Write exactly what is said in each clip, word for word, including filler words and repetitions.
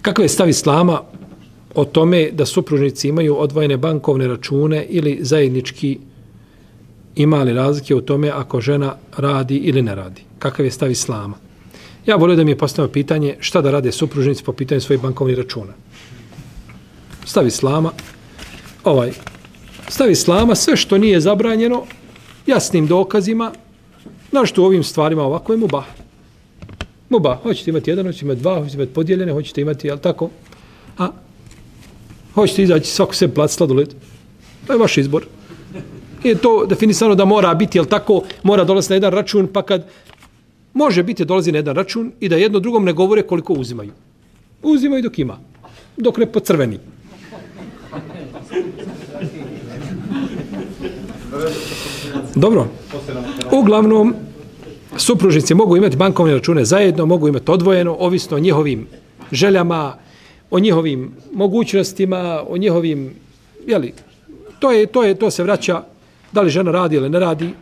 Kakav je stav islama o tome da supružnici imaju odvojene bankovne račune ili zajednički, ima li razlike u tome ako žena radi ili ne radi? Kakav je stav islama? Ja volio da mi je postavio pitanje šta da rade supružnici po pitanju svojih bankovnih računa. Stav islama, ovaj, stav islama, sve što nije zabranjeno, jasnim dokazima, našto u ovim stvarima ovako je mubah. Mubah, hoćete imati jedan, hoćete imati dva, hoćete imati podijeljene, hoćete imati, jel tako? A hoćete izaći svako sebi plat sladoled. To je vaš izbor. Je to definisano da mora biti, jel tako, mora dolaziti na jedan račun, pa kad može biti dolazi na jedan račun i da jedno drugom ne govore koliko uzimaju. Uzimaju dok ima. Dok ne pocrveni. Dobro. Uglavnom, supružnici mogu imati bankovne račune zajedno, mogu imati odvojeno, ovisno o njihovim željama, o njihovim mogućnostima, o njihovim, jeli, to je, to je, to se vraća, da li žena radi ili ne radi.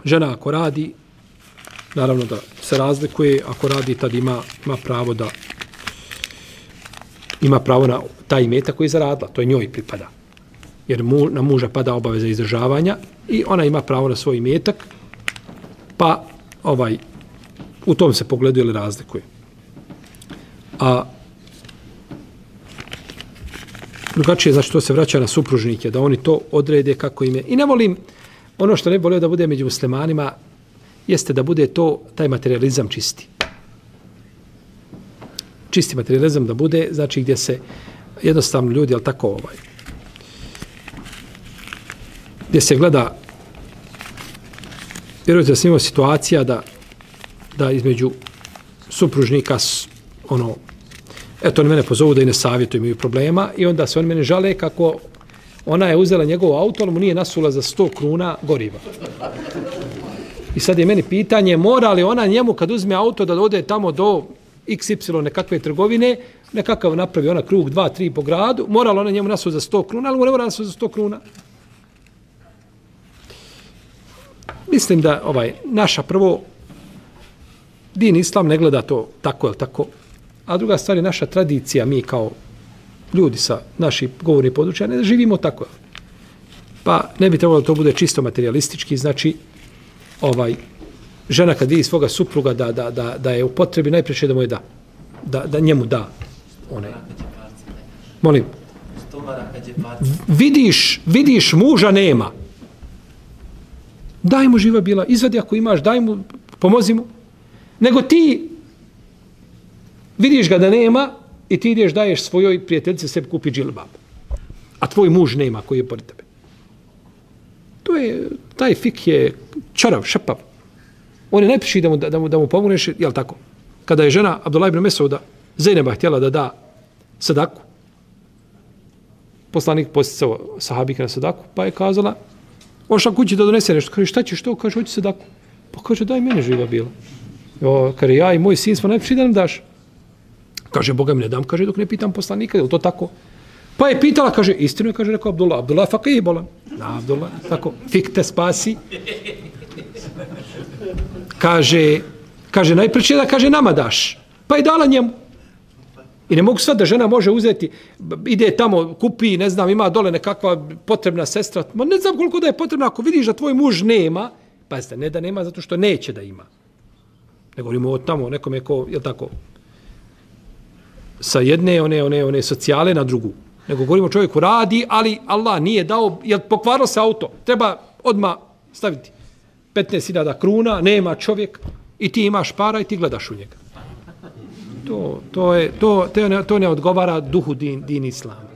Žena ako radi, naravno da se razlikuje, ako radi tad ima, ima pravo da ima pravo na taj imetak koji je zaradila, to je njoj pripada. Jer mu, na muža pada obaveza izdržavanja i ona ima pravo na svoj imetak, pa ovaj, u tom se pogledu ili razlikuje. A drugačije, znači to se vraća na supružnike, da oni to odrede kako im je. I ne volim, ono što ne volio da bude među muslimanima, jeste da bude to, taj materializam čisti. Čisti materializam da bude, znači gdje se jednostavno ljudi, ali tako ovaj, gdje se gleda, vjerujete da sam imao situacija da, da između supružnika, ono, eto oni mene pozovu da i ne savjetuju, imaju problema i onda se oni mene žale kako ona je uzela njegov auto, ali mu nije nasula za sto kruna goriva. I sad je meni pitanje, mora li ona njemu kad uzme auto da ode tamo do iks ipsilon nekakve trgovine, nekakav napravi ona krug dva, tri po gradu, mora li ona njemu nasula za sto kruna, ali mu ne mora nasula za sto kruna. Mislim da ovaj naša prvo din islam ne gleda to tako, je tako? A druga stvar je naša tradicija, mi kao ljudi sa naših govornih područja ne živimo tako. Pa ne bi trebalo da to bude čisto materialistički, znači ovaj žena kad vidi svoga supruga da, da, da, da je u potrebi, najpreče da mu je da. Da, da njemu da. One. Molim. Vidiš, vidiš muža nema. Daj mu živa bila, izvadi ako imaš, daj mu, pomozi mu. Nego ti vidiš ga da nema i ti ideš daješ svojoj prijateljici sebi kupi džilbab. A tvoj muž nema koji je pored tebe. To je, taj fik je čarav, šapav. On je najpriši da mu, da mu, da mu pomogneš, jel tako? Kada je žena Abdullah ibn Mesouda Zejneba htjela da da sadaku, poslanik posticao sahabike na sadaku, pa je kazala, ošla kući da donese nešto. Kaže, šta ćeš to? Kaže, hoći sadaku. Pa kaže, daj mene živa bila. Jo, kaže, ja i moj sin smo najpriši da nam daš. Kaže, Boga mi ne dam, kaže, dok ne pitam poslanika, je li to tako? Pa je pitala, kaže, istinu je, kaže, rekao Abdullah. Abdullah fakih bolan. Na, Abdullah, tako, fik te spasi. Kaže, kaže, najpreće da, kaže, nama daš. Pa je dala njemu. I ne mogu sad da žena može uzeti, ide tamo, kupi, ne znam, ima dole nekakva potrebna sestra. Ma ne znam koliko da je potrebna, ako vidiš da tvoj muž nema, pa jeste, ne da nema zato što neće da ima. Ne govorimo o tamo, nekome ko, je tako, sa jedne, one, one, one socijale na drugu. Nego govorimo čovjeku radi, ali Allah nije dao, jel pokvarilo se auto, treba odmah staviti petnaest hiljada kruna, nema čovjek i ti imaš para i ti gledaš u njega. To, to, je, to, to, ne, to ne odgovara duhu din, din islama.